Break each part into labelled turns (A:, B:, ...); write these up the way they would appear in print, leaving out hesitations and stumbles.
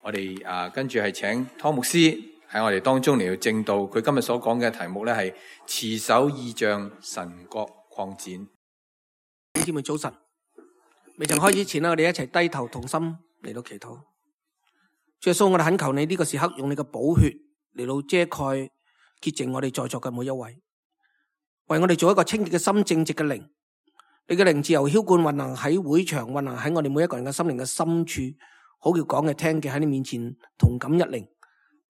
A: 我哋跟住係請湯牧師喺我哋當中嚟到證道，佢今日所講嘅題目咧係持守異象，神國擴展。
B: 姊妹早晨，未曾開始前我哋一齊低頭同心嚟到祈禱。主耶穌，我哋懇求你呢個時刻用你嘅寶血嚟到遮蓋潔淨我哋在座嘅每一位，為我哋做一個清潔嘅心、正直嘅靈。你嘅靈自由澆灌運行喺會場，運行喺我哋每一個人嘅心靈嘅深處，好叫講嘅聽嘅喺你面前同感一靈，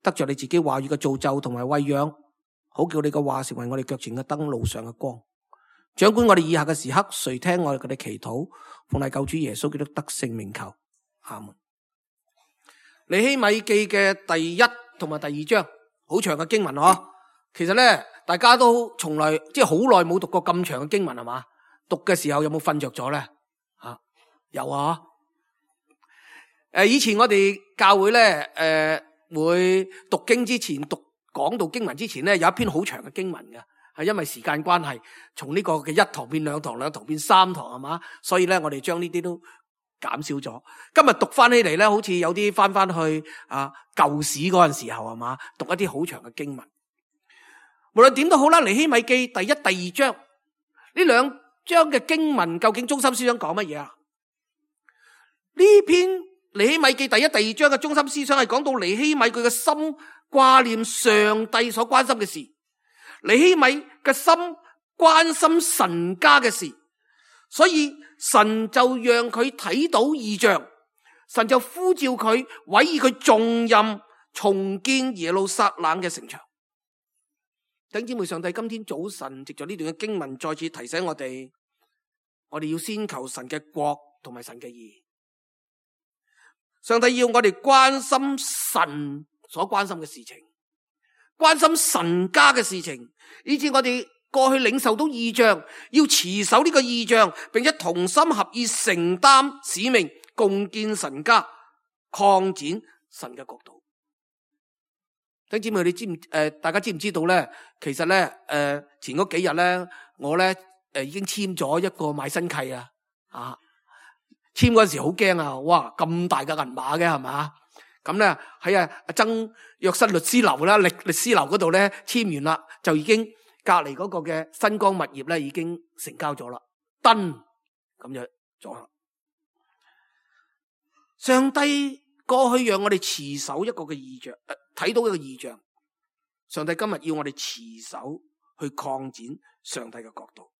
B: 得着你自己話語嘅造就同埋餵養，好叫你嘅話成為我哋腳前嘅燈，路上嘅光。掌管我哋以下嘅時刻，垂聽我哋嘅祈禱，奉賴救主耶穌基督得勝名求，阿門。尼希米記嘅第一同埋第二章，好長嘅經文嗬。其實咧，大家都從來即係好耐冇讀過咁長嘅經文係嘛？讀嘅時候有冇瞓着咗咧？有啊。以前我哋教會咧，會讀經之前講到經文之前咧，有一篇好長嘅經文嘅，係因為時間關係，從呢個嘅一堂變兩堂，兩堂變三堂係嘛，所以咧我哋將呢啲都減少咗。今日讀翻起嚟咧，好似有啲翻去舊史嗰陣時候係嘛，讀一啲好長嘅經文。無論點都好啦，尼希米記第一、第二章呢兩章嘅經文究竟中心思想講乜嘢啊？呢篇尼希米記第一、第二章嘅中心思想係講到尼希米佢嘅心掛念上帝所關心嘅事，尼希米嘅心關心神家嘅事，所以神就讓佢睇到異象，神就呼召佢委以佢重任重建耶路撒冷嘅城牆。弟兄姊妹，上帝今天早晨藉着呢段嘅經文再次提醒我哋要先求神嘅國同埋神嘅義。上帝要我哋關心神所關心嘅事情，關心神家嘅事情，以致我哋過去領受到異象，要持守呢個異象，並且同心合意承擔使命，共建神家，擴展神嘅國度。弟兄姊妹，大家知唔知道咧？其實咧，前嗰幾日咧，我咧已經簽咗一個買新契啊！簽嗰陣時好驚啊！哇，咁大嘅銀碼嘅係嘛？咁咧喺曾約瑟律師樓啦，律師樓嗰度咧簽完啦，就已經隔籬嗰個嘅新光物業咧已經成交咗啦，登咁樣咗啦。上帝過去讓我哋持守一個嘅異象，睇到一個異象。上帝今日要我哋持守去擴展上帝嘅國度。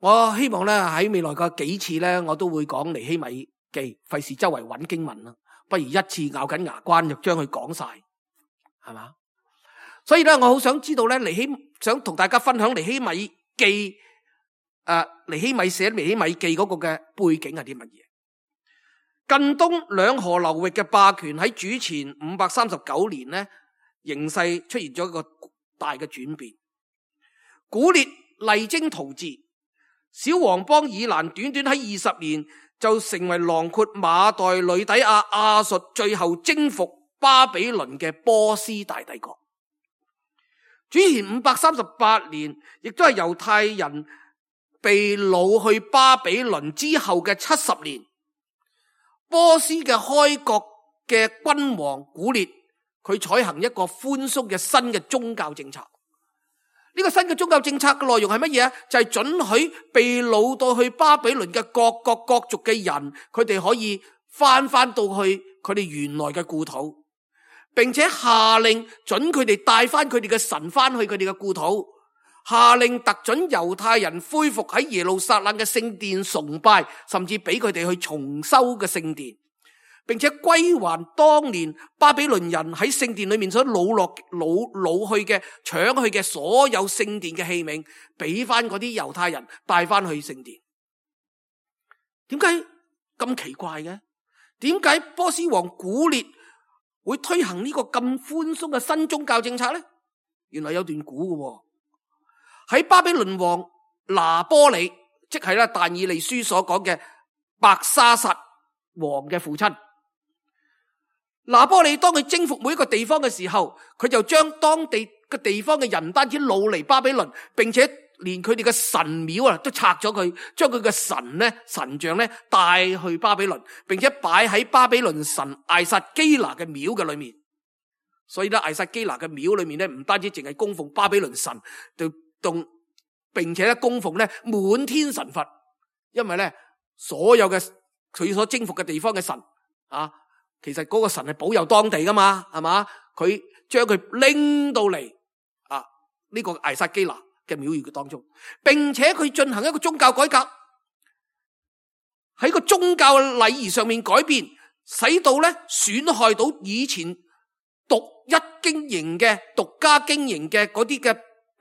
B: 我希望咧喺未來嘅幾次咧，我都會講尼希米記，費事周圍揾經文啦，不如一次咬緊牙關就將佢講晒，係嘛？所以咧，我好想知道咧，想同大家分享尼希米記，尼希米寫尼希米記嗰個嘅背景係啲乜嘢？近東兩河流域嘅霸權喺主前539年咧，形勢出現咗一個大嘅轉變。古列勵精圖治，小王邦以攔短短喺20年就成為囊括馬代、呂底亞、亞述，最後征服巴比倫嘅波斯大帝國。主前538年，亦都係猶太人被擄去巴比倫之後嘅70年。波斯嘅開國嘅君王古列，佢採行一個寬鬆嘅新嘅宗教政策。呢個新嘅宗教政策嘅內容係乜嘢啊？就係准許被擄到去巴比倫嘅各國各族嘅人，佢哋可以翻到去佢哋原來嘅故土，並且下令准佢哋帶翻佢哋嘅神翻去佢哋嘅故土，下令特准猶太人恢復喺耶路撒冷嘅聖殿崇拜，甚至俾佢哋去重修嘅聖殿，並且歸還當年巴比倫人喺聖殿裏面所擄去嘅搶去嘅所有聖殿嘅器皿，俾翻嗰啲猶太人帶翻去聖殿。點解咁奇怪嘅？點解波斯王古列會推行呢個咁寬鬆嘅新宗教政策呢？原來有段古嘅。喺巴比倫王拿波里，即係咧但以理書所講嘅伯沙撒王嘅父親。拿波里當佢征服每一個地方嘅時候，佢就將當地嘅地方嘅人唔單止擄嚟巴比倫，並且連佢哋嘅神廟啊都拆咗佢，將佢嘅神像咧帶去巴比倫，並且擺喺巴比倫神艾撒基拿嘅廟嘅裏面。所以咧，艾撒基拿嘅廟裏面咧，唔單止淨係供奉巴比倫神，並且咧供奉咧滿天神佛，因為咧所有嘅佢所征服嘅地方嘅神啊，其實嗰個神係保佑當地噶嘛，係嘛？佢將佢拎到嚟啊呢個艾撒基拿嘅廟宇嘅當中，並且佢進行一個宗教改革，喺個宗教禮儀上面改變，使到咧損害到以前獨家經營嘅嗰啲嘅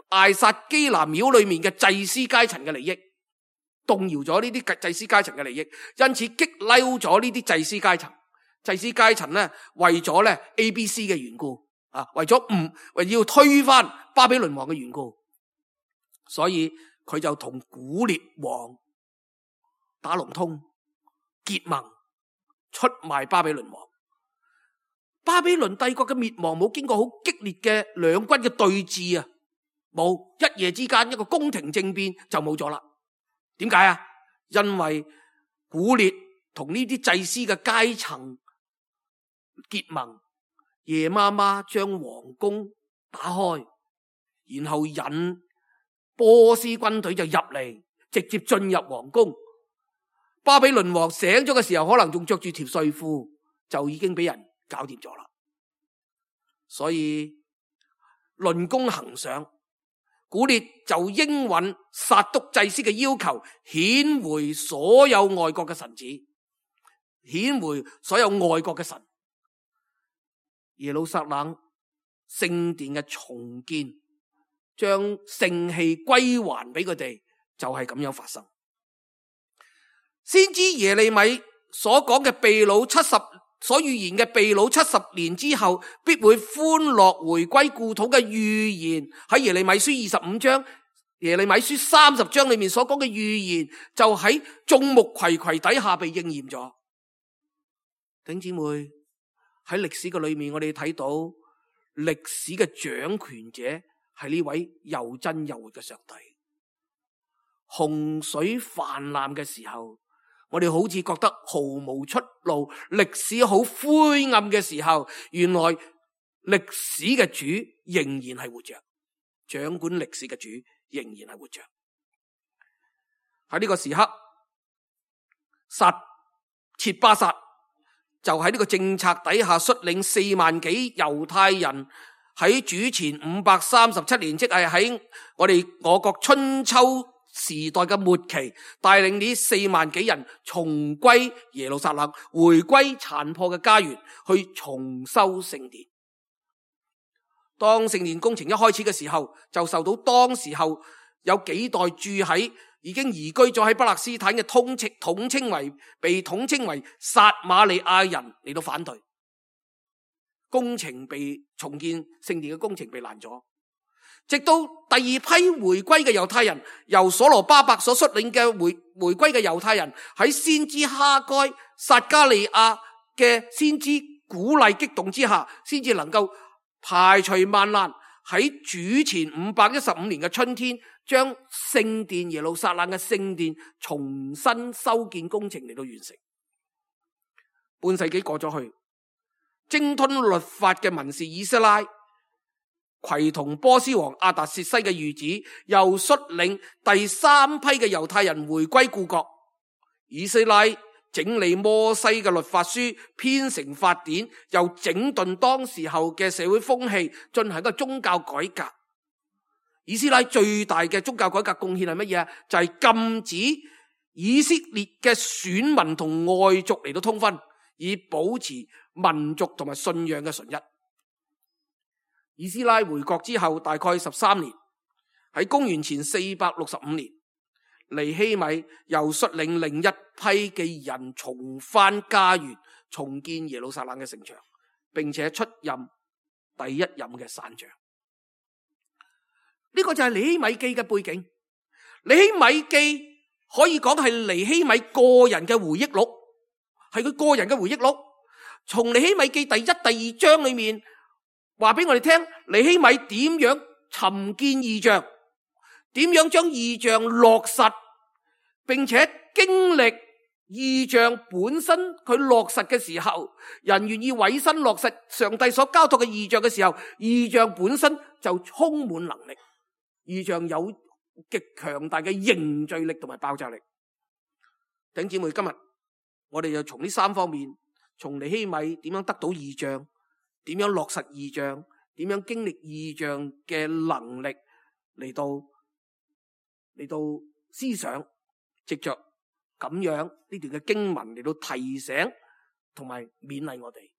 B: 艾撒基拿廟裏面嘅祭司階層嘅利益，動搖咗呢啲祭司階層嘅利益，因此激嬲咗呢啲祭司階層。祭司階層咧為咗咧 ABC 嘅緣故啊，為要推翻巴比倫王嘅緣故，所以佢就同古列王打龍通結盟，出賣巴比倫王。巴比倫帝國嘅滅亡冇經過好激烈嘅兩軍嘅對峙啊，冇一夜之間一個宮廷政變就冇咗啦。點解啊？因為古列同呢啲祭司嘅階層結盟，夜媽媽將皇宮打開，然後引波斯軍隊就入嚟，直接進入皇宮。巴比倫王醒咗嘅時候，可能仲着住條睡褲，就已經俾人搞掂咗啦。所以論功行賞，古列就應允撒督祭司嘅要求，遣回所有外國嘅神子，遣回所有外國嘅神。耶路撒冷聖殿嘅重建，將聖器歸還俾佢哋，就係咁樣發生。先知耶利米所講嘅被擄所預言嘅被擄70年之後必會歡樂回歸故土嘅預言，喺耶利米書25章、耶利米書30章裏面所講嘅預言，就喺眾目睽睽底下被應驗咗。弟兄姊妹，喺歷史嘅裏面，我哋睇到歷史嘅掌權者係呢位又真又活嘅上帝。洪水泛濫嘅時候，我哋好似覺得毫無出路，歷史好灰暗嘅時候，原來歷史嘅主仍然係活着，掌管歷史嘅主仍然係活着。喺呢個時刻，切巴撒就喺呢個政策底下率領4萬幾猶太人，喺主前537年，即係喺我國春秋時代嘅末期，帶領呢4萬幾人重歸耶路撒冷，回歸殘破嘅家園，去重修聖殿。當聖殿工程一開始嘅時候，就受到當時候有幾代已經移居咗喺巴勒斯坦嘅被統稱為撒瑪利亞人嚟到反對，重建聖殿嘅工程被攔咗。直到第二批回歸嘅猶太人，由所羅巴伯所率領嘅回歸嘅猶太人，喺先知哈該、撒加利亞嘅先知鼓勵激動之下，先至能夠排除萬難，喺主前515年嘅春天，將聖殿耶路撒冷嘅聖殿重新修建工程嚟到完成。半世紀過咗去，精通律法嘅文士以斯拉，攜同波斯王亞達薛西嘅御子，又率領第3批嘅猶太人回歸故國。以斯拉整理摩西嘅律法書，編成法典，又整頓當時候嘅社會風氣，進行一個宗教改革。以斯拉最大嘅宗教改革貢獻係乜嘢？就係禁止以色列嘅選民同外族嚟到通婚，以保持民族同埋信仰嘅純一。以斯拉回國之後大概13年，喺公元前465年，尼希米又率領另一批嘅人重返家園，重建耶路撒冷嘅城牆，並且出任第一任嘅省長。呢個就係尼希米記嘅背景。尼希米記可以講係尼希米個人嘅回憶錄，係佢個人嘅回憶錄。從尼希米記第1、第2章裏面話俾我哋聽，尼希米點樣尋見異象，點樣將異象落實，並且經歷異象本身佢落實嘅時候，人願意委身落實上帝所交託嘅異象嘅時候，異象本身就充滿能力，異象有極強大嘅凝聚力同埋爆炸力。弟兄姊妹，今日我哋就從呢三方面，從尼希米點樣得到異象，點樣落實異象，點樣經歷異象嘅能力嚟到思想，藉着咁樣呢段嘅經文嚟到提醒同埋勉勵我哋。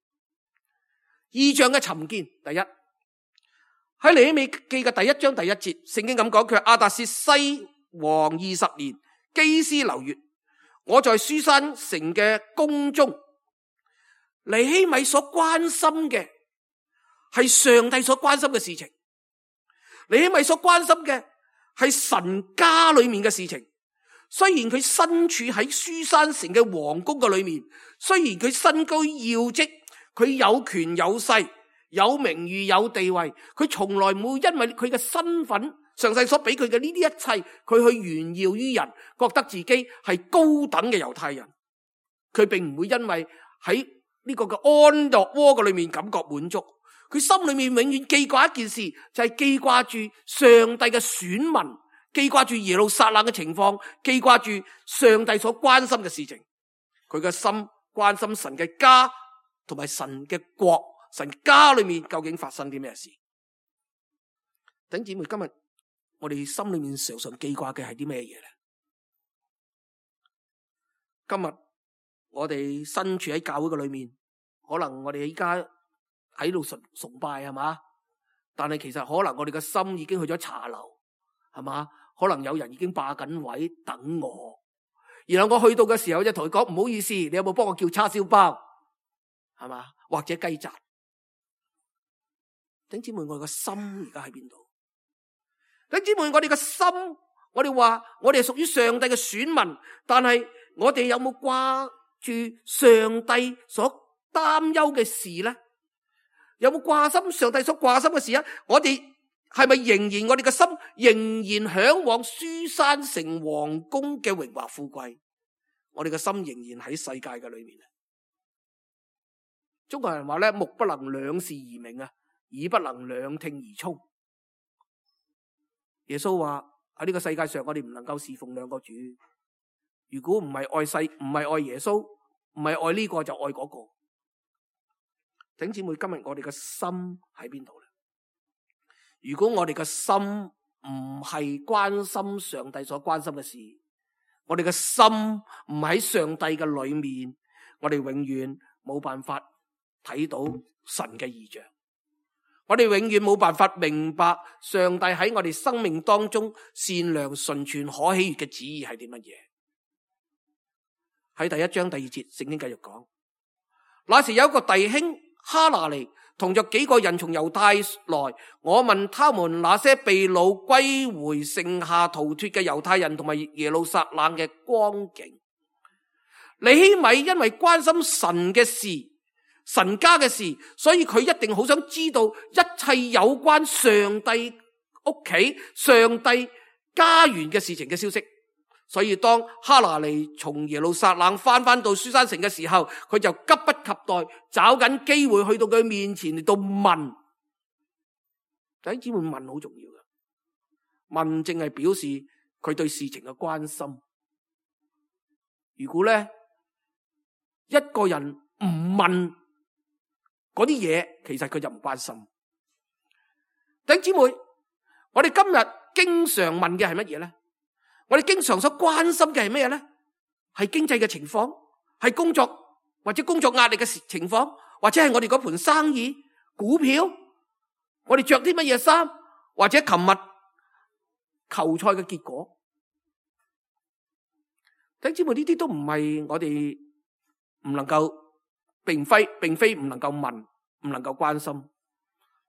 B: 異象嘅尋見，第一喺尼希米記嘅第1章第1節，聖經咁講，佢亞達薛西王20年，基斯流月，我在書珊城嘅宮中。尼希米所關心嘅係上帝所關心嘅事情，尼希米所關心嘅係神家裏面嘅事情。雖然佢身處喺書珊城嘅皇宮嘅裏面，雖然佢身居要職，佢有權有勢，有名譽有地位，佢從來冇因為佢嘅身份，上帝所俾佢嘅呢啲一切，佢去炫耀於人，覺得自己係高等嘅猶太人。佢並唔會因為喺呢個嘅安樂窩嘅裏面感覺滿足，佢心裏面永遠記掛一件事，就係記掛住上帝嘅選民，記掛住耶路撒冷嘅情況，記掛住上帝所關心嘅事情。佢嘅心關心神嘅家同埋神嘅國，神家裏面究竟發生啲咩事。弟兄姊妹，今日我哋心裏面常常記掛嘅係啲咩嘢咧？今日我哋身處喺教會嘅裏面，可能我哋依家喺度崇拜係嘛，但係其實可能我哋嘅心已經去咗茶樓係嘛，可能有人已經霸緊位等我，然後我去到嘅時候就同佢講，唔好意思，你有冇幫我叫叉燒包係嘛，或者雞雜？弟兄姊妹，我哋嘅心而家喺邊度？弟兄姊妹，我哋嘅心，我哋話我哋係屬於上帝嘅選民，但係我哋有冇掛住上帝所擔憂嘅事咧？有冇掛心上帝所掛心嘅事啊？我哋係咪仍然我哋嘅心仍然向往書珊城皇宮嘅榮華富貴？我哋嘅心仍然喺世界嘅裏面啊！中國人話咧，目不能兩視而明啊，耳不能兩聽而聰。耶穌話喺呢個世界上，我哋唔能夠侍奉兩個主。如果唔係愛世，唔係愛耶穌，唔係愛呢個就愛嗰個。弟兄姊妹，今日我哋嘅心喺邊度咧？如果我哋嘅心唔係關心上帝所關心嘅事，我哋嘅心唔喺上帝嘅裏面，我哋永遠冇辦法睇到神嘅異象。我哋永遠冇辦法明白上帝喺我哋生命當中善良、純全、可喜悅嘅旨意係啲乜嘢。喺第1章第2節，聖經繼續講，那時有一個弟兄哈拿尼同着幾個人從猶太來，我問他們那些被擄歸回剩下逃脫嘅猶太人同埋耶路撒冷嘅光景。尼希米因為關心神嘅事、神家嘅事，所以佢一定好想知道一切有關上帝屋企、上帝家園嘅事情嘅消息。所以當哈拿尼從耶路撒冷翻到書珊城嘅時候，佢就急不及待找緊機會去到佢面前嚟到問。弟兄姊妹，問好重要嘅，問正係表示佢對事情嘅關心。如果咧一個人唔問嗰啲嘢，其實佢就唔關心。弟兄姊妹，我哋今日經常問嘅係乜嘢咧？我哋經常所關心嘅係咩咧？係經濟嘅情況，係工作或者工作壓力嘅情況，或者係我哋嗰盤生意、股票，我哋着啲乜嘢衫，或者琴日球賽嘅結果。弟兄姊妹，呢啲都唔係我哋唔能夠，並非唔能夠問，唔能夠關心。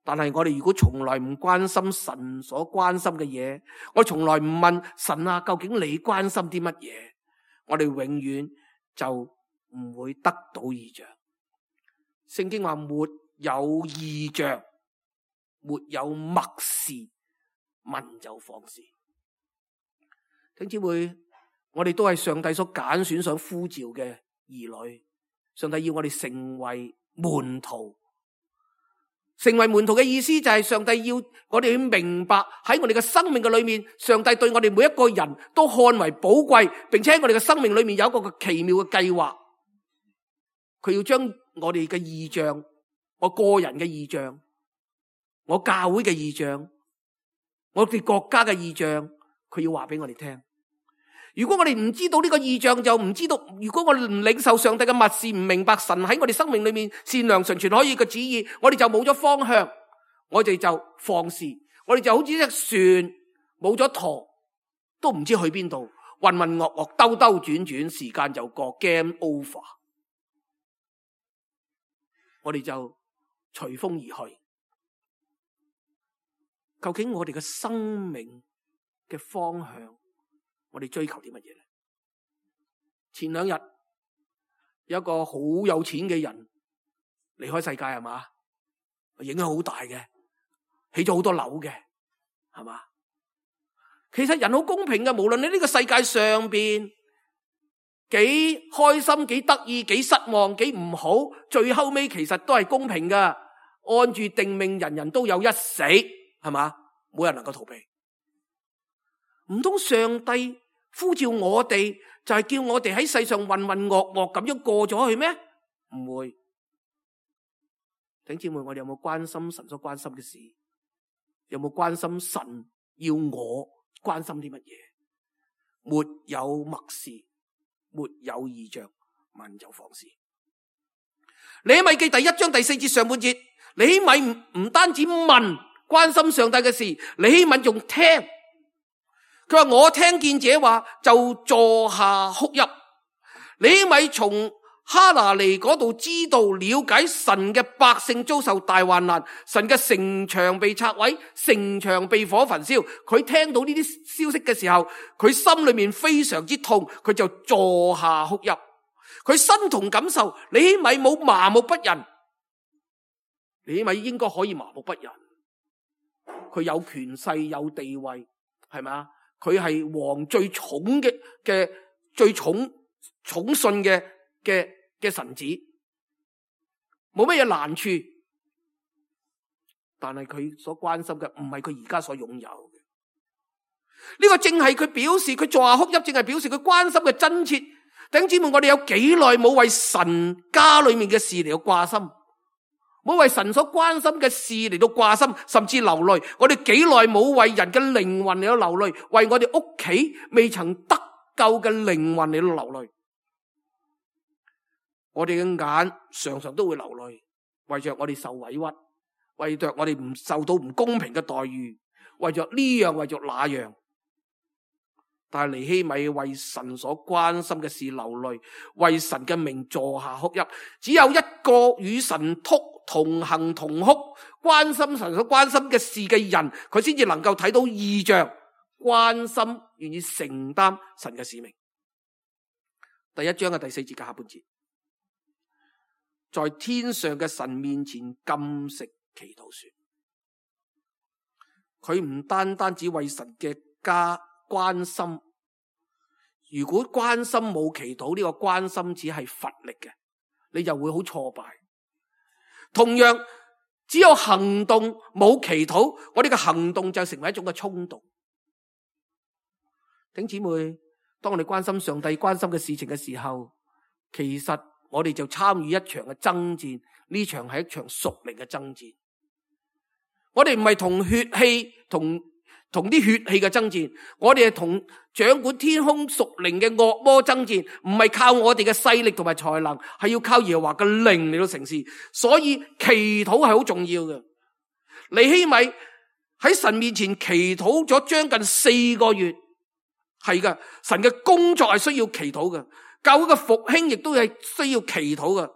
B: 但係我哋如果從來唔關心神所關心嘅嘢，我從來唔問神啊，究竟你關心啲乜嘢？我哋永遠就唔會得到異象。聖經話沒有異象，沒有默示，問就放肆。弟兄姊妹，我哋都係上帝所揀選、所呼召嘅兒女。上帝要我哋成為門徒。成為門徒嘅意思就係上帝要我哋去明白喺我哋嘅生命嘅裏面，上帝對我哋每一個人都看為寶貴，並且喺我哋嘅生命裏面有一個奇妙嘅計劃。佢要將我哋嘅異象，我個人嘅異象，我教會嘅異象，我哋國家嘅異象，佢要話俾我哋聽。如果我哋唔知道呢個異象，就唔知道，如果我哋唔領受上帝嘅默示，唔明白神喺我哋生命裏面善良純全可以嘅旨意，我哋就冇咗方向，我哋就放肆，我哋就好似隻船冇咗舵，都唔知去邊度，渾渾噩噩，兜兜轉轉，時間就過 ，game over， 我哋就隨風而去。究竟我哋嘅生命嘅方向，我哋追求啲乜嘢咧？前兩日有一個好有錢嘅人離開世界，係嘛？影響好大嘅，起咗好多樓嘅，係嘛？其實人好公平嘅，無論你呢個世界上邊幾開心、幾得意、幾失望、幾唔好，最後尾其實都係公平噶。按住定命，人人都有一死，係嘛？冇人能夠逃避。唔通上帝呼召我哋，就係叫我哋喺世上渾渾噩噩咁樣過咗去咩？唔會。弟兄姊妹，我哋有冇關心神所關心嘅事？有冇關心神要我關心啲乜嘢？沒有默示，沒有異象，問就放肆。尼希米記第1章第4節上半節，尼希米唔單止問關心上帝嘅事，尼希米仲聽。佢話我聽見這話就坐下哭泣。尼希米從哈拿尼嗰度知道了解神嘅百姓遭受大患難，神嘅城牆被拆毀，城牆被火焚燒。佢聽到呢啲消息嘅時候，佢心裏面非常之痛，佢就坐下哭泣。佢身同感受，尼希米冇麻木不仁，尼希米應該可以麻木不仁。佢有權勢有地位，係咪？佢係王最寵嘅最寵信嘅臣子，冇乜嘢難處。但係佢所關心嘅唔係佢而家所擁有嘅。呢個正係佢表示佢坐下哭泣，正係表示佢關心嘅真切。弟兄姊妹，我哋有幾耐冇為神家裏面嘅事嚟到掛心？冇為神所關心嘅事嚟到掛心，甚至流淚。我哋幾耐冇為人嘅靈魂嚟到流淚，為我哋屋企未曾得救嘅靈魂嚟到流淚。我哋嘅眼常常都會流淚，為着我哋受委屈，為着我哋唔受到唔公平嘅待遇，為着呢樣，為着那樣。但係尼希米為神所關心嘅事流淚，為神嘅名坐下哭泣。只有一個與神同行同哭，關心神所關心嘅事嘅人，佢先至能夠睇到異象，關心願意承擔神嘅使命。第1章嘅第4節嘅下半節，在天上嘅神面前禁食祈禱說，佢唔單單只為神嘅家關心。如果關心冇祈禱，呢個關心只係乏力嘅，你就會好挫敗。同樣，只有行動冇祈禱，我哋嘅行動就成為一種嘅衝動。弟兄姊妹，當我哋關心上帝關心嘅事情嘅時候，其實我哋就參與一場嘅爭戰，呢場係一場屬靈嘅爭戰。我哋唔係同血氣同啲血氣嘅爭戰，我哋係同掌管天空屬靈嘅惡魔爭戰，唔係靠我哋嘅勢力同埋才能，係要靠耶和華嘅靈嚟到成事。所以祈禱係好重要嘅。尼希米喺神面前祈禱咗將近4個月，係噶，神嘅工作係需要祈禱嘅，教會嘅復興亦都係需要祈禱嘅。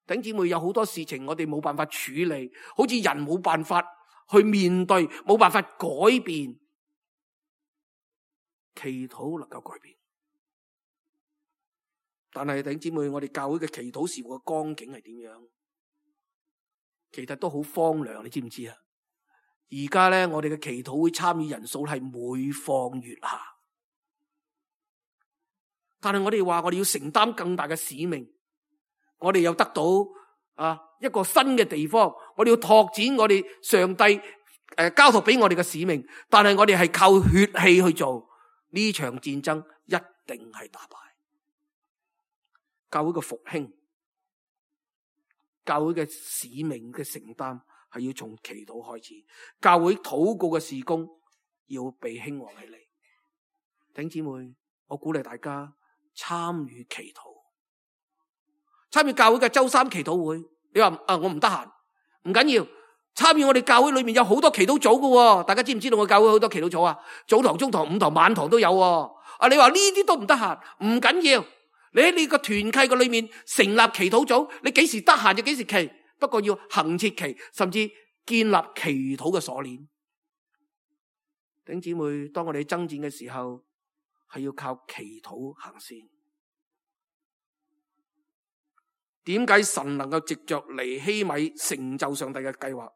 B: 弟兄姊妹，有好多事情我哋冇辦法處理，好似人冇辦法去面對，冇辦法改變，祈禱能夠改變。但係弟兄姊妹，我哋教會嘅祈禱事務嘅光景係點樣？其實都好荒涼，你知唔知啊？而家咧，我哋嘅祈禱會參與人數係每況愈下。但係我哋話我哋要承擔更大嘅使命，我哋又得到一個新嘅地方，我哋要拓展我哋上帝交託俾我哋嘅使命，但係我哋係靠血氣去做呢場戰爭，一定係打敗。教會嘅復興，教會嘅使命嘅承擔係要從祈禱開始，教會禱告嘅事工要被興旺起嚟。弟兄姊妹，我鼓勵大家參與祈禱，參與教會嘅周三祈禱會。你話我唔得閒，唔緊要，參與我哋教會裏面有好多祈禱組嘅，大家知唔知道我教會好多祈禱組啊？早堂、中堂、午堂、晚堂都有。你話呢啲都唔得閒，唔緊要，你喺你個團契嘅裏面成立祈禱組，你幾時得閒就幾時祈，不過要恆切祈，甚至建立祈禱嘅鎖鏈。弟兄姊妹，當我哋爭戰嘅時候，係要靠祈禱行先。點解神能夠藉着尼希米成就上帝嘅計劃？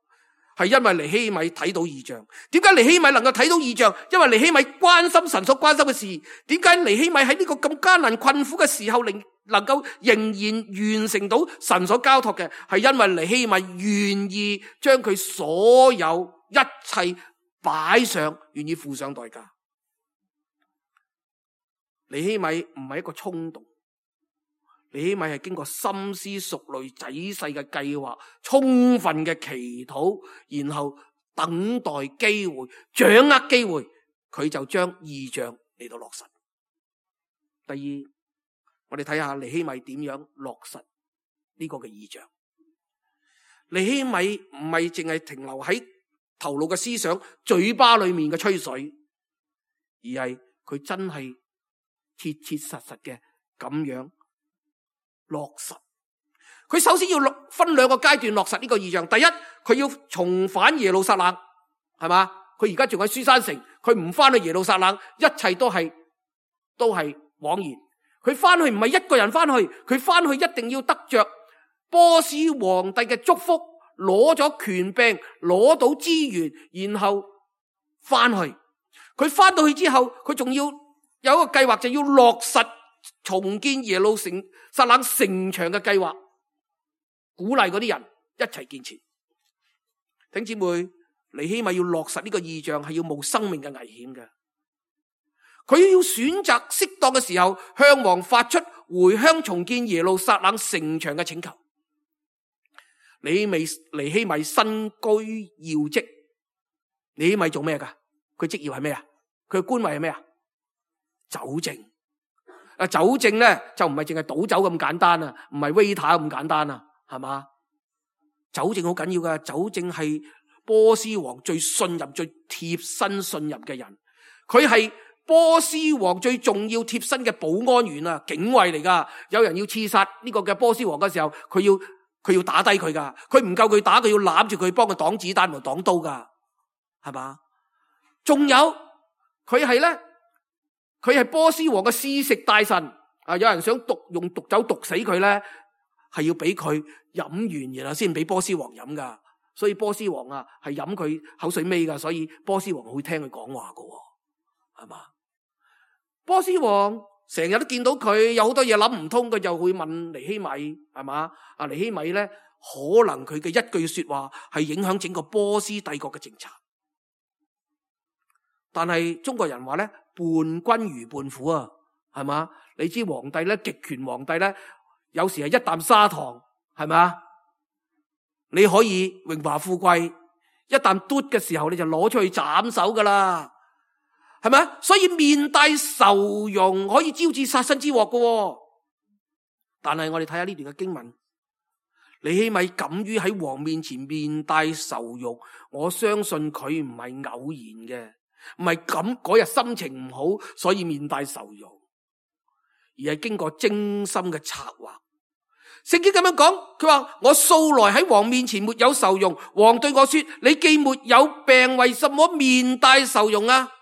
B: 係因為尼希米睇到異象。點解尼希米能夠睇到異象？因為尼希米關心神所關心嘅事。點解尼希米喺呢個咁艱難困苦嘅時候，能夠仍然完成到神所交託嘅？係因為尼希米願意將佢所有一切擺上，願意付上代價。尼希米唔係一個衝動，尼希米係經過深思熟慮、仔細嘅計劃、充分嘅祈禱，然後等待機會、掌握機會，佢就將異象嚟到落實。第二，我哋睇下尼希米點樣落實呢個嘅異象。尼希米唔係淨係停留喺頭腦嘅思想、嘴巴裏面嘅吹水，而係佢真係切切實實嘅咁樣落實。佢首先要分兩個階段落實呢個異象。第一，佢要重返耶路撒冷，係嘛？佢而家仲喺書珊城，佢唔翻去耶路撒冷，一切都係枉然。佢翻去唔係一個人翻去，佢翻去一定要得着波斯皇帝嘅祝福，攞咗權柄，攞到資源，然後翻去。佢翻到去之後，佢仲要有一個計劃，就要落實重建耶路撒冷城牆嘅計劃，鼓勵嗰啲人一齊建設。弟兄姊妹，尼希米要落實呢個異象係要冒生命嘅危險嘅。佢要選擇適當嘅時候向王發出回鄉重建耶路撒冷城牆嘅請求。尼希米身居要職，尼希米做咩噶？佢職業係咩啊？佢嘅官位係咩啊？酒政。酒政咧就唔係淨係倒酒咁簡單啊，唔係 waiter 咁簡單啊，係嘛？酒政好緊要噶，酒政係波斯王最信任、最貼身信任嘅人，佢係波斯王最重要貼身嘅保安員啊，警衛嚟噶。有人要刺殺呢個嘅波斯王嘅時候，佢要打低佢噶，佢唔夠佢打，佢要攬住佢幫佢擋子彈同擋刀噶，係嘛？仲有佢係波斯王嘅試食大臣啊！有人想用毒酒毒死佢咧，係要俾佢飲完然後先俾波斯王飲噶。所以波斯王啊係飲佢口水尾噶，所以波斯王會聽佢講話噶，係嘛？波斯王成日都見到佢有好多嘢諗唔通，佢就會問尼希米，係嘛？尼希米咧，可能佢嘅一句說話係影響整個波斯帝國嘅政策。但係中國人話咧，伴君如伴虎啊，係嘛？你知皇帝咧，極權皇帝咧，有時係一啖砂糖，係嘛？你可以榮華富貴，一啖嘟嘅時候，你就攞出去斬首噶啦，係咪？所以面帶愁容可以招致殺身之禍噶。但係我哋睇下呢段嘅經文，尼希米敢於喺王面前面帶愁容，我相信佢唔係偶然嘅，唔係咁嗰日心情唔好，所以面帶愁容，而係經過精心嘅策劃。聖經咁樣講，佢話我素來喺王面前沒有愁容，王對我說：你既沒有病，為什麼面帶愁容啊？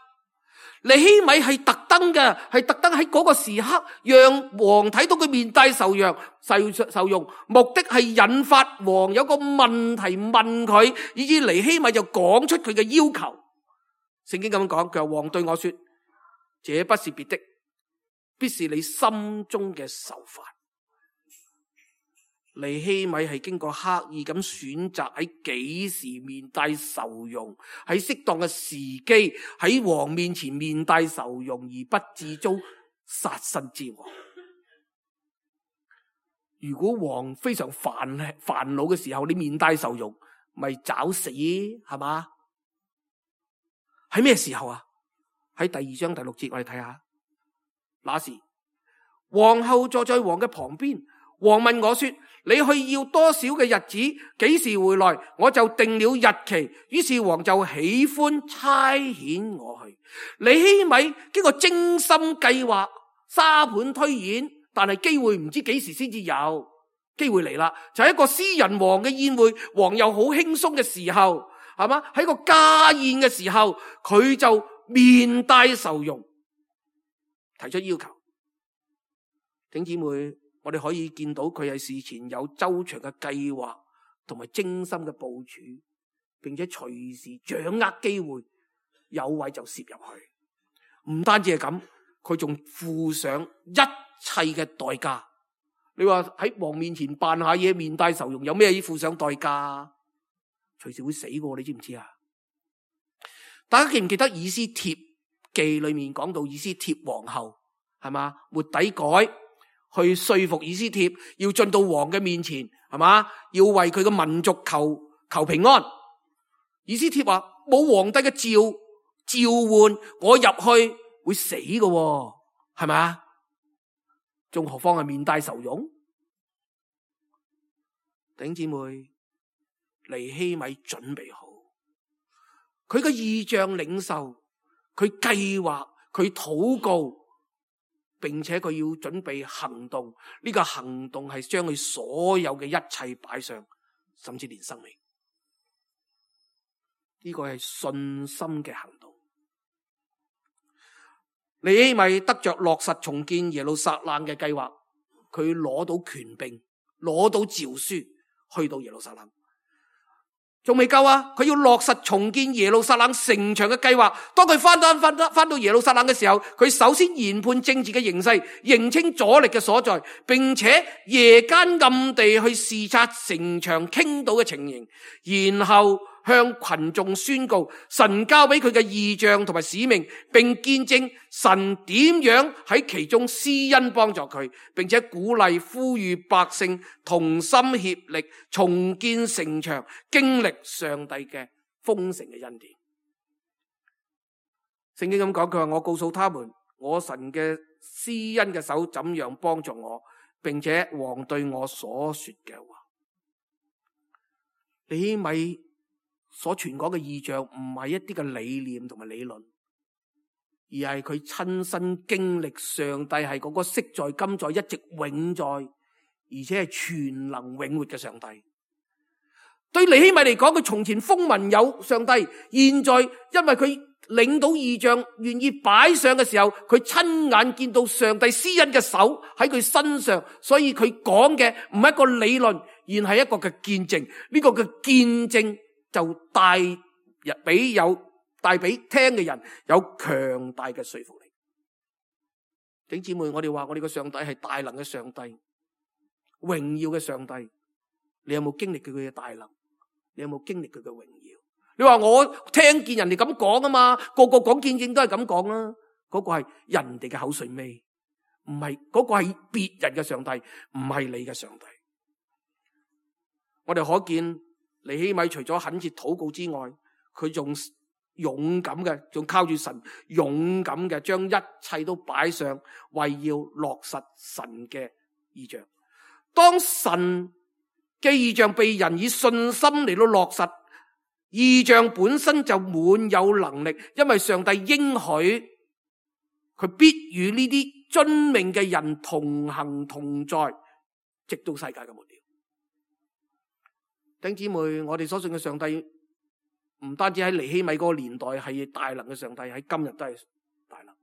B: 尼希米係特登嘅，係特登喺嗰個時刻讓王睇到佢面帶愁容，目的係引發王有個問題問佢，以致尼希米就講出佢嘅要求。聖經咁樣講，佢話王對我說：這不是別的，必是你心中嘅愁煩。尼希米係經過刻意咁選擇喺幾時面帶愁容，喺適當嘅時機喺王面前面帶愁容，而不致遭殺身之禍。如果王非常煩惱嘅時候，你面帶愁容，咪找死係嘛？喺咩時候啊？喺第2章第6節，我哋睇下。那時皇后坐在王嘅旁邊，王問我說：你去要多少嘅日子？幾時回來？我就定了日期。於是王就喜歡差遣我去。尼希米經過精心計劃、沙盤推演，但係機會唔知幾時先至有。機會嚟啦，就係一個私人王嘅宴會，王又好輕鬆嘅時候，係嘛？喺個家宴嘅時候，佢就面帶愁容，提出要求。弟兄姊妹，我哋可以見到佢係事前有周詳嘅計劃同埋精心嘅部署，並且隨時掌握機會，有位就攝入去。唔單止係咁，佢仲付上一切嘅代價。你話喺王面前扮下嘢，面帶愁容，有咩要付上代價？隨時會死嘅，你知唔知啊？大家記唔記得以斯帖記裏面講到以斯帖皇后係嘛？末底改去說服以斯帖要進到王嘅面前，係嘛？要為佢嘅民族求平安。以斯帖話冇皇帝嘅召喚，我入去會死嘅，係咪？仲何況係面帶愁容？弟兄姊妹，尼希米準備好，佢嘅異象領受，佢計劃，佢禱告，並且佢要準備行動。呢個行動係將佢所有嘅一切擺上，甚至連生命。呢個係信心嘅行動。尼希米得着落實重建耶路撒冷嘅計劃，佢攞到權柄，攞到詔書，去到耶路撒冷。仲未夠啊！佢要落實重建耶路撒冷城牆嘅計劃。當佢翻到耶路撒冷嘅時候，佢首先研判政治嘅形勢，認清阻力嘅所在，並且夜間暗地去視察城牆傾倒嘅情形，然後向群眾宣告神交俾佢嘅異象同埋使命，並見證神點樣喺其中施恩幫助佢，並且鼓勵呼籲百姓同心協力重建城牆，經歷上帝嘅豐盛嘅恩典。聖經咁講，佢話我告訴他們，我神嘅施恩嘅手怎樣幫助我，並且王對我所說嘅話。尼希米所傳講嘅異象唔係一啲嘅理念同埋理論，而係佢親身經歷上帝係嗰個昔在今在一直永在，而且係全能永活嘅上帝。對尼希米嚟講，佢從前風聞有上帝，現在因為佢領到異象，願意擺上嘅時候，佢親眼見到上帝施恩嘅手喺佢身上，所以佢講嘅唔係一個理論，而係一個嘅見證。呢個嘅見證就帶俾聽嘅人有強大嘅說服力。弟兄姊妹，我哋話我哋嘅上帝係大能嘅上帝，榮耀嘅上帝。你有冇經歷佢嘅大能？你有冇經歷佢嘅榮耀？你話我聽見人哋咁講啊嘛，個個講見證都係咁講啦。嗰個係人哋嘅口水尾，唔係嗰個係別人嘅上帝，唔係你嘅上帝。我哋可見尼希米除咗懇切禱告之外，佢仲勇敢嘅，仲靠住神勇敢嘅，將一切都擺上，為要落實神嘅異象。當神嘅異象被人以信心嚟到落實，異象本身就滿有能力，因為上帝應許佢必與呢啲遵命嘅人同行同在，直到世界嘅末了。弟兄姊妹，我哋所信嘅上帝唔單止喺尼希米嗰個年代係大能嘅上帝，喺今日都係大能。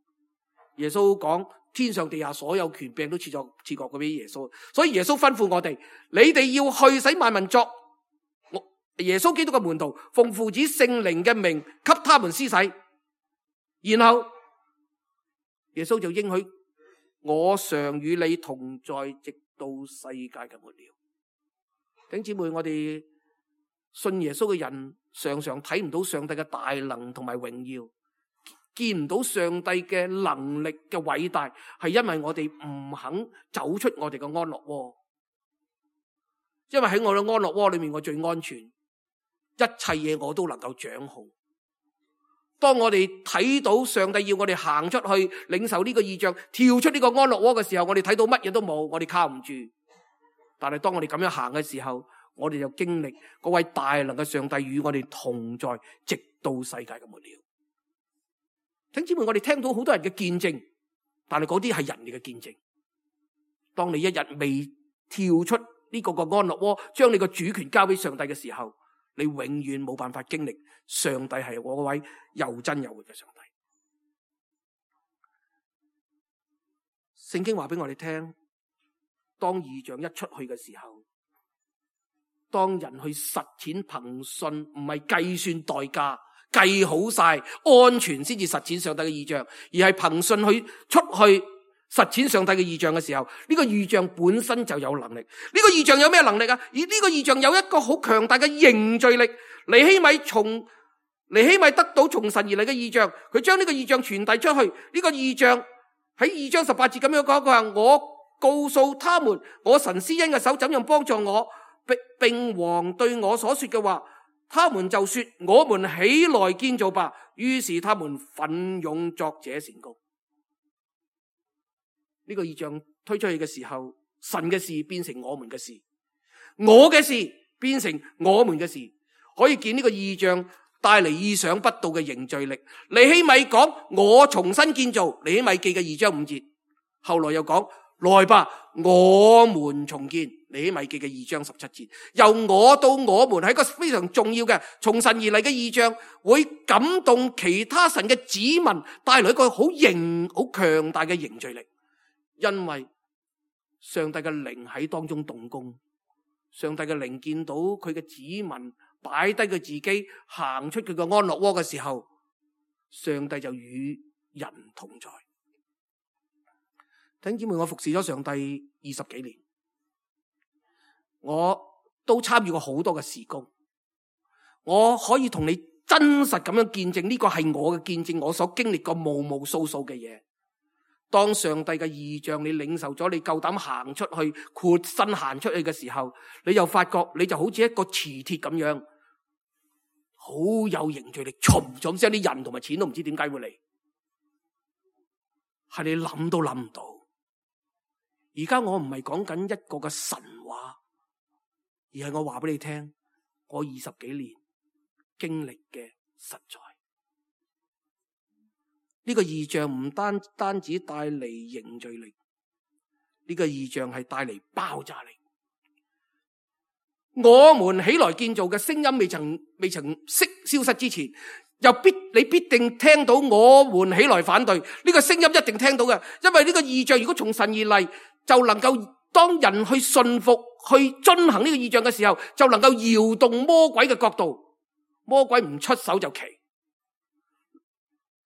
B: 耶穌講天上地下所有權柄都賜過俾耶穌，所以耶穌吩咐我哋，你哋要去使萬民作耶穌基督嘅門徒，奉父子聖靈嘅名給他們施洗。然後耶穌就應許我常與你同在，直到世界嘅末了。弟兄姊妹，我哋信耶穌嘅人常常睇唔到上帝嘅大能同埋榮耀，見唔到上帝嘅能力嘅偉大，係因為我哋唔肯走出我哋嘅安樂窩。因為喺我嘅安樂窩裏面，我最安全，一切嘢我都能夠掌控。當我哋睇到上帝要我哋行出去領受呢個異象，跳出呢個安樂窩嘅時候，我哋睇到乜嘢都冇，我哋靠唔住。但係當我哋咁樣行嘅時候，我哋就經歷嗰位大能嘅上帝與我哋同在，直到世界嘅末了。弟兄姊妹，我哋聽到好多人嘅見證，但係嗰啲係人哋嘅見證。當你一日未跳出呢個安樂窩，將你個主權交俾上帝嘅時候，你永遠冇辦法經歷上帝係我嗰位又真又活嘅上帝。聖經話俾我哋聽，當異象一出去嘅時候，當人去實踐憑信，唔係計算代價，計好晒安全先至實踐上帝嘅異象，而係憑信去出去實踐上帝嘅異象嘅時候，呢個異象本身就有能力。呢個異象有咩能力啊？而呢個異象有一個好強大嘅凝聚力。尼希米得到從神而嚟嘅異象，佢將呢個異象傳遞出去。呢個異象喺2章18節咁樣講，佢話我告訴他們，我神施恩嘅手怎樣幫助我，並王對我所說嘅話，他們就說我們起來建造吧。於是他們奮勇作這善工。呢個異象推出去嘅時候，神嘅事變成我們嘅事，我嘅事變成我們嘅事。可以見呢個異象帶嚟意想不到嘅凝聚力。尼希米講我重新建造，尼希米記嘅2章5節，後來又講來吧，我們重建，尼希米記嘅2章17節。由我到我們係一個非常重要嘅從神而嚟嘅異象，會感動其他神嘅子民，帶來一個好強大嘅凝聚力。因為上帝嘅靈喺當中動工，上帝嘅靈見到佢嘅子民擺低佢自己，行出佢嘅安樂窩嘅時候，上帝就與人同在。弟兄姊妹，我服侍咗上帝20幾年，我都參與過好多嘅事工，我可以同你真實咁樣見證，呢個係我嘅見證，我所經歷過無數嘅嘢。當上帝嘅異象你領受咗，你夠膽行出去，豁身行出去嘅時候，你又發覺你就好似一個磁鐵咁樣，好有凝聚力，嘈咗聲，啲人同埋錢都唔知點解會嚟，係你諗都諗唔到。而家我唔係講緊一個嘅神話，而係我話俾你聽，我20幾年經歷嘅實在。呢個異象唔單止帶嚟凝聚力，呢個異象係帶嚟爆炸力。我們起來建造嘅聲音未曾消失之前，你必定聽到我們起來反對。呢個聲音一定聽到嘅，因為呢個異象如果從神而嚟，就能夠當人去信服、去遵行呢個異象嘅時候，就能夠搖動魔鬼嘅國度。魔鬼唔出手就奇，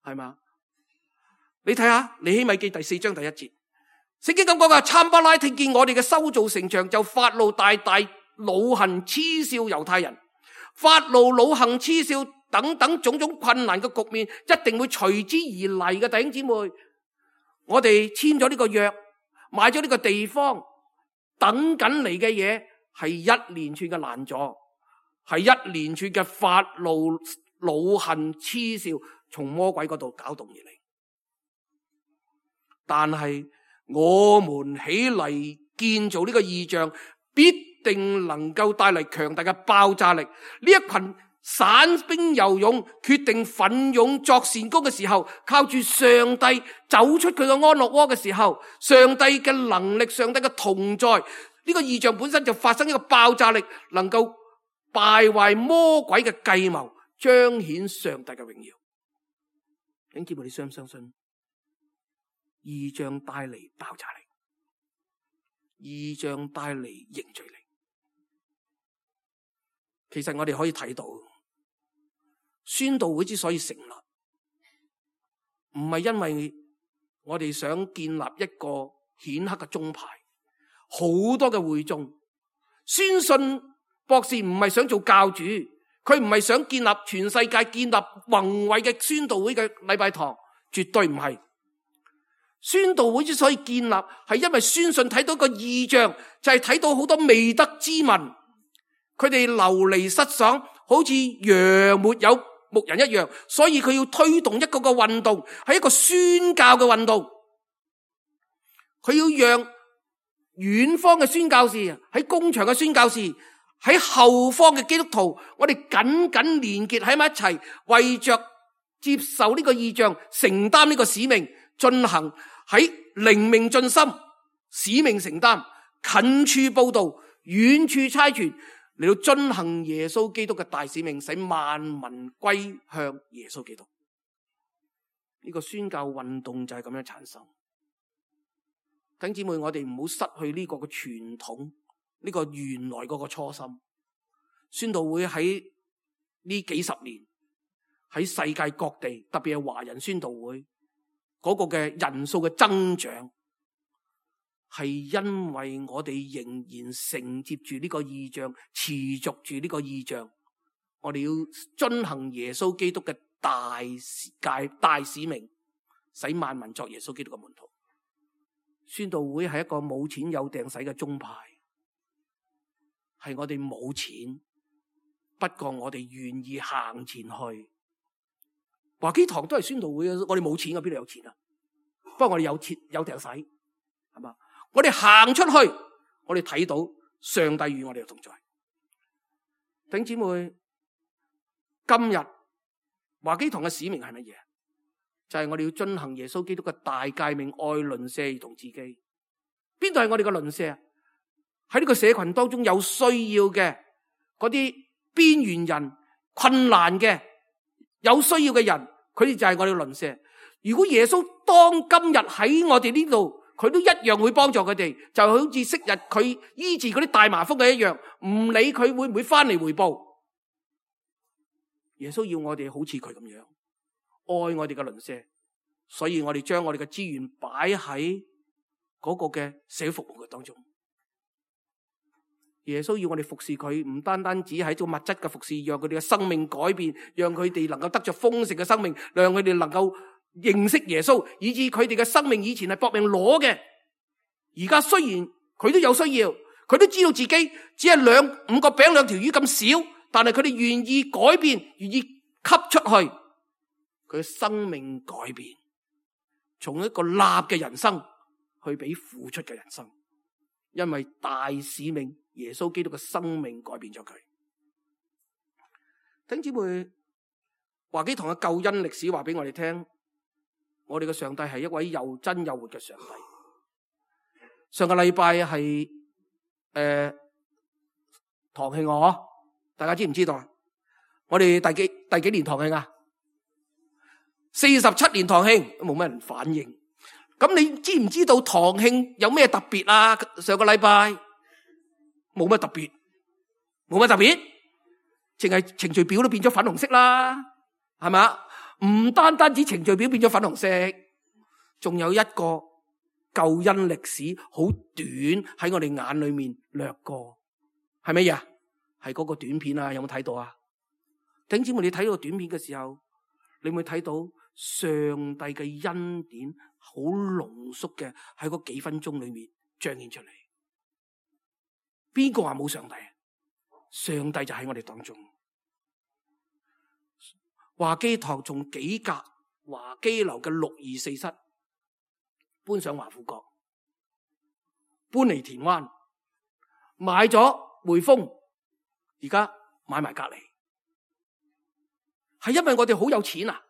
B: 係嘛？你睇下尼希米記第4章第1節，聖經咁講嘅，參巴拉聽見我哋嘅修造城牆，就發怒大惱恨嗤笑猶太人。發怒惱恨嗤笑等等種種困難嘅局面，一定會隨之而嚟嘅。弟兄姊妹，我哋簽咗呢個約，買咗呢個地方，等緊嚟嘅嘢係一連串嘅攔阻，係一連串嘅發怒惱恨嗤笑從魔鬼嗰度搞動而嚟。但係我們起嚟建造呢個異象，必定能夠帶嚟強大嘅爆炸力。呢一群散兵游勇決定奮勇作善工嘅時候，靠住上帝走出佢嘅安樂窩嘅時候，上帝嘅能力，上帝嘅同在，呢個異象本身就發生一個爆炸力，能夠敗壞魔鬼嘅計謀，彰顯上帝嘅榮耀。弟兄姊妹，你相唔相信？異象帶嚟爆炸力，異象帶嚟凝聚力。其實我哋可以睇到，宣道會之所以成立，唔係因為我哋想建立一個顯赫嘅宗派，好多嘅會眾。宣信博士唔係想做教主，佢唔係想建立全世界建立宏偉嘅宣道會嘅禮拜堂，絕對唔係。宣道會之所以建立，係因為宣信睇到個異象，就係睇到好多未得之民，佢哋流離失所，好似羊沒有牧人一樣，所以佢要推動一個個運動，係一個宣教嘅運動。佢要讓遠方嘅宣教士，喺工場嘅宣教士，喺後方嘅基督徒，我哋緊緊連結喺埋一齊，為着接受呢個異象，承擔呢個使命，進行喺靈命進心，使命承擔，近處報道，遠處差傳，嚟到進行耶穌基督嘅大使命，使萬民歸向耶穌基督。呢個宣教運動就係咁樣產生。弟兄姊妹，我哋唔好失去呢個嘅傳統，呢個原來嗰個初心。宣道會喺呢幾十年喺世界各地，特別係華人宣道會嗰個嘅人數嘅增長，係因為我哋仍然承接住呢個異象，持續住呢個異象。我哋要遵行耶穌基督嘅大使命，使萬民作耶穌基督嘅門徒。宣道會係一個冇錢有掟使嘅宗派，係我哋冇錢，不過我哋願意行前去。華基堂都係宣道會，我哋冇錢，邊度有錢啊？不過我哋有錢有掟使，係嘛？我哋行出去，我哋睇到上帝與我哋嘅同在。弟兄姊妹，今日華基堂嘅使命係乜嘢？就係我哋要遵行耶穌基督嘅大誡命，愛鄰舍如同自己。邊度係我哋嘅鄰舍？喺呢個社群當中有需要嘅嗰啲邊緣人、困難嘅有需要嘅人，佢哋就係我哋嘅鄰舍。如果耶穌當今日喺我哋呢度，佢都一樣會幫助佢哋，就好似昔日佢醫治嗰啲大麻風嘅一樣，唔理佢會唔會翻嚟回報。耶穌要我哋好似佢咁樣愛我哋嘅鄰舍，所以我哋將我哋嘅資源擺喺嗰個嘅社會服務嘅當中。耶穌要我哋服侍佢，唔單單只係一種物質嘅服侍，讓佢哋嘅生命改變，讓佢哋能夠得着豐盛嘅生命，讓佢哋能夠認識耶穌，以致佢哋嘅生命以前係搏命攞嘅，而家雖然佢都有需要，佢都知道自己只係5個餅2條魚咁少，但係佢哋願意改變，願意給出去。佢嘅生命改變，從一個立嘅人生去俾付出嘅人生，因為大使命耶穌基督嘅生命改變咗佢。弟兄姊妹，華基堂嘅救恩歷史話俾我哋聽，我哋嘅上帝係一位又真又活嘅上帝。上個禮拜係堂慶啊，大家知唔知道啊？我哋第幾年堂慶啊？47年堂慶，都冇乜人反應。咁你知唔知道堂慶有咩特別啊？上個禮拜冇乜特別，冇乜特別，淨係程序表都變咗粉紅色啦，係咪？唔單單止程序表變咗粉紅色，仲有一個救恩歷史好短喺我哋眼裏面掠過，係乜嘢？係嗰個短片啊？有冇睇到啊？弟兄姊妹，你睇到短片嘅時候，你會睇到上帝嘅恩典好濃縮嘅喺嗰幾分鐘裏面彰顯出嚟。邊個話冇上帝？上帝就喺我哋當中。華基堂從幾格華基樓嘅624室搬上華富閣，搬嚟田灣，買咗匯豐，而家買埋隔籬，係因為我哋好有錢啊？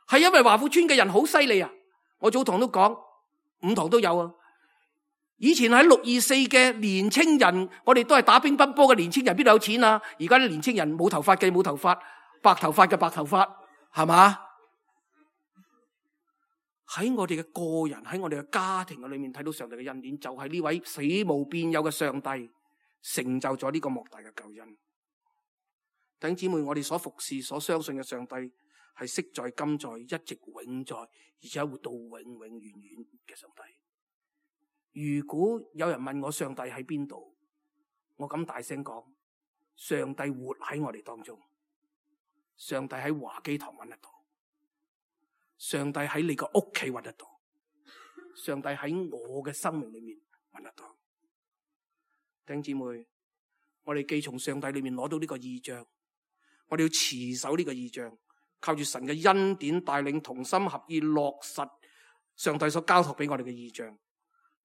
B: 係因為華富村嘅人好犀利啊？我早堂都講，5堂都有啊。以前喺624嘅年青人，我哋都係打乒乓波嘅年青人，邊度有錢啊？而家啲年青人冇頭髮嘅冇頭髮，白頭髮嘅白頭髮，係嘛？喺我哋嘅個人，喺我哋嘅家庭嘅裏面睇到上帝嘅恩典，就係呢位死無變有嘅上帝成就咗呢個莫大嘅救恩。弟兄姊妹，我哋所服侍、所相信嘅上帝係昔在今在一直永在，而且活到永永遠遠嘅上帝。如果有人問我上帝喺邊度，我敢大聲講，上帝活喺我哋當中。上帝喺華基堂揾得到，上帝喺你個屋企揾得到，上帝喺我嘅生命裏面揾得到。弟兄姊妹，我哋既從上帝裏面攞到呢個異象，我哋要持守呢個異象，靠住神嘅恩典帶領，同心合意落實上帝所交託俾我哋嘅異象。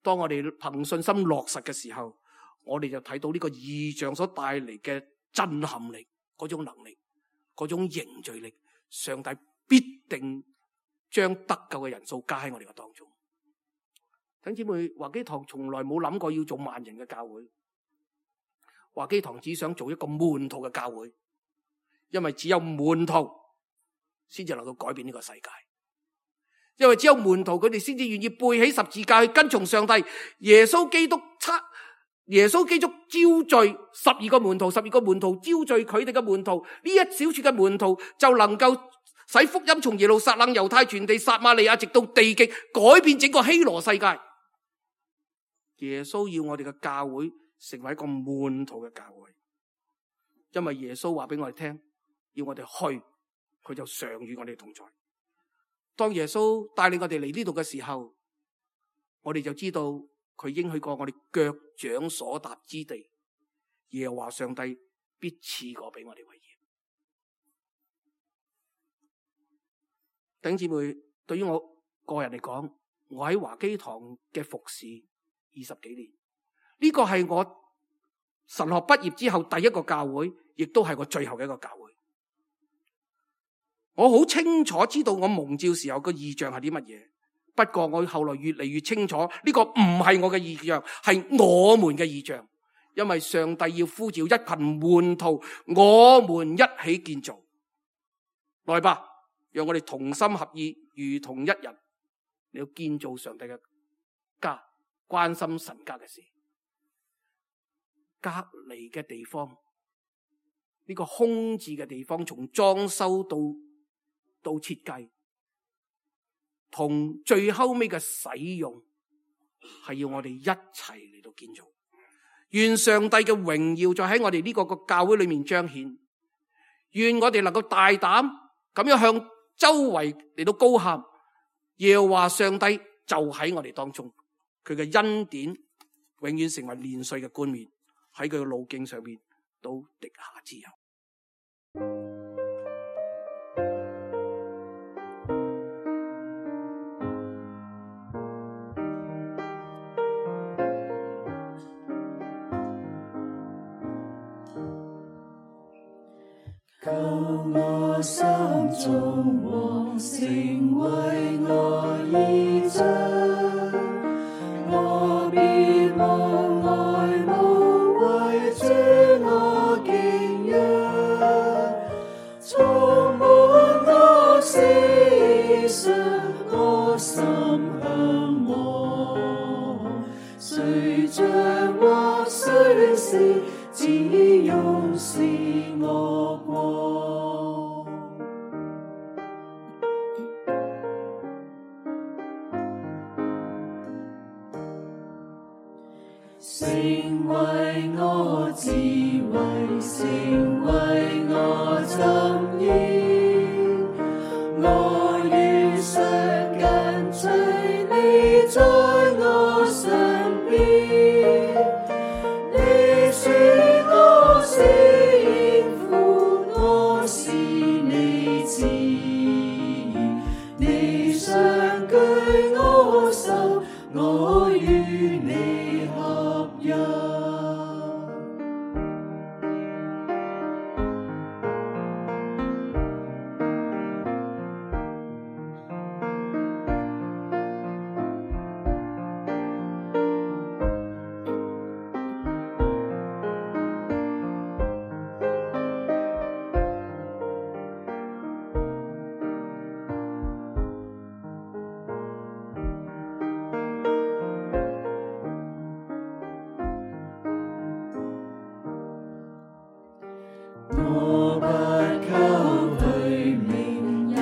B: 當我哋憑信心落實嘅時候，我哋就睇到呢個異象所帶嚟嘅震撼力，嗰種能力，嗰種凝聚力，上帝必定將得救嘅人數加喺我哋嘅當中。弟兄姊妹，華基堂從來冇諗過要做萬人嘅教會，華基堂只想做一個門徒嘅教會，因為只有門徒先至能夠改變呢個世界，因為只有門徒佢哋先至願意背起十字架去跟從上帝。耶穌基督召聚12個門徒，12個門徒召聚佢哋嘅門徒，呢一小撮嘅門徒就能夠使福音從耶路撒冷、猶太全地、撒瑪利亞直到地極，改變整個希羅世界。耶穌要我哋嘅教會成為一個門徒嘅教會，因為耶穌話俾我哋聽，要我哋去，佢就常與我哋同在。當耶穌帶領我哋嚟呢度嘅時候，我哋就知道佢應許過我哋腳掌所踏之地，耶和華上帝必賜過俾我哋為業。弟兄姊妹，對於我個人嚟講，我喺華基堂嘅服侍20幾年，呢個係我神學畢業之後第一個教會，亦都係我最後嘅一個教會。我好清楚知道我蒙召時候個異象係啲乜嘢，不過我後來越嚟越清楚，呢個唔係我嘅異象，係我們嘅異象。因為上帝要呼召一群門徒，我們一起建造。來吧，讓我哋同心合意，如同一人，你要建造上帝嘅家，關心神家嘅事。隔離嘅地方，呢個空置嘅地方，從裝修到設計，同最後尾嘅使用，係要我哋一齊嚟到建造。願上帝嘅榮耀再喺我哋呢個教會裏面彰顯。願我哋能夠大膽咁樣向周圍嚟到高喊，耶和華上帝就喺我哋當中，佢嘅恩典永遠成為年歲嘅冠冕，喺佢嘅路徑上面都滴下之油。
C: 求我心中王成為我義象，我必望愛慕為主我敬仰，充滿我思想，我心向往，誰像或誰是，只用是我光。成為我智慧，成為我箴言，我願常跟隨你在我身邊，你是我幸福，我是你旨意，你常舉我手，我與你合一。我不求虛名，也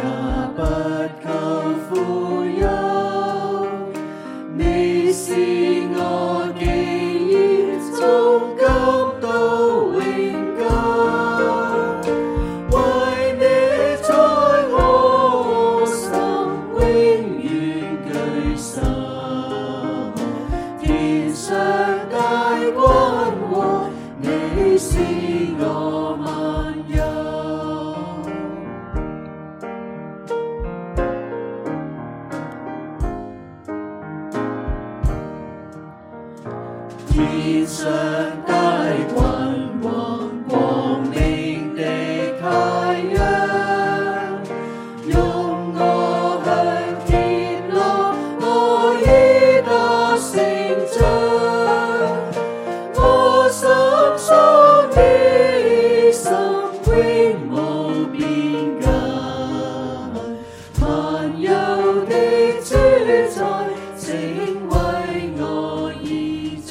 C: 是我萬有。天上大君王，光明的太陽，用我向天落，我已得成長。我心中的心永無邊界，萬有的主宰，請為我依仗。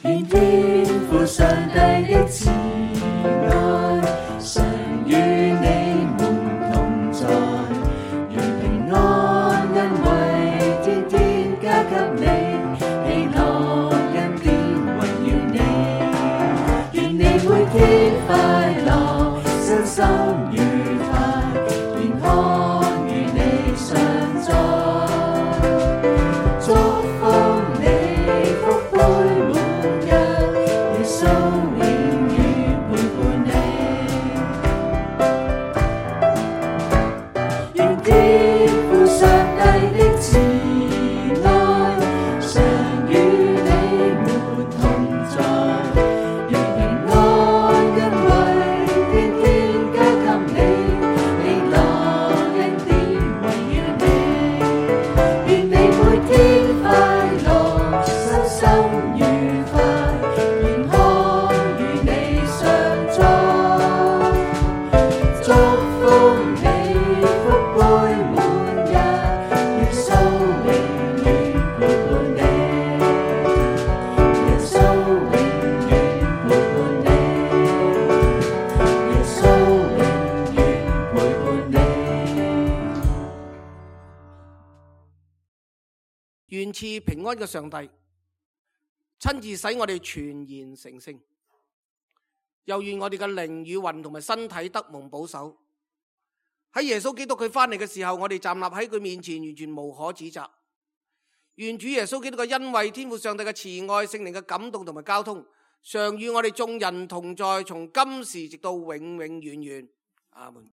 C: 願天父上帝的慈愛，常與你們同在，願平安恩惠天天加給你，喜樂恩典圍繞你。願你每天快樂，身心愉快，健康與你常在。祝福你福杯滿溢，耶穌永遠陪伴你。願天父上帝的慈愛，常與你們同在，願平安恩惠天天加給你，喜樂恩典圍繞你。願你每天快樂，身心愉快，健康與你常在。祝福你福杯滿溢，耶穌永遠陪伴你。耶穌永遠陪伴你。耶穌永遠陪伴你。
B: 願賜平安嘅上帝親自使我哋全然成聖，又願我哋嘅靈與魂同埋身體得蒙保守。喺耶穌基督佢翻嚟嘅時候，我哋站立喺佢面前，完全無可指責。願主耶穌基督嘅恩惠、天父上帝嘅慈愛、聖靈嘅感動同埋交通，常與我哋眾人同在，從今時直到永永遠遠。阿門。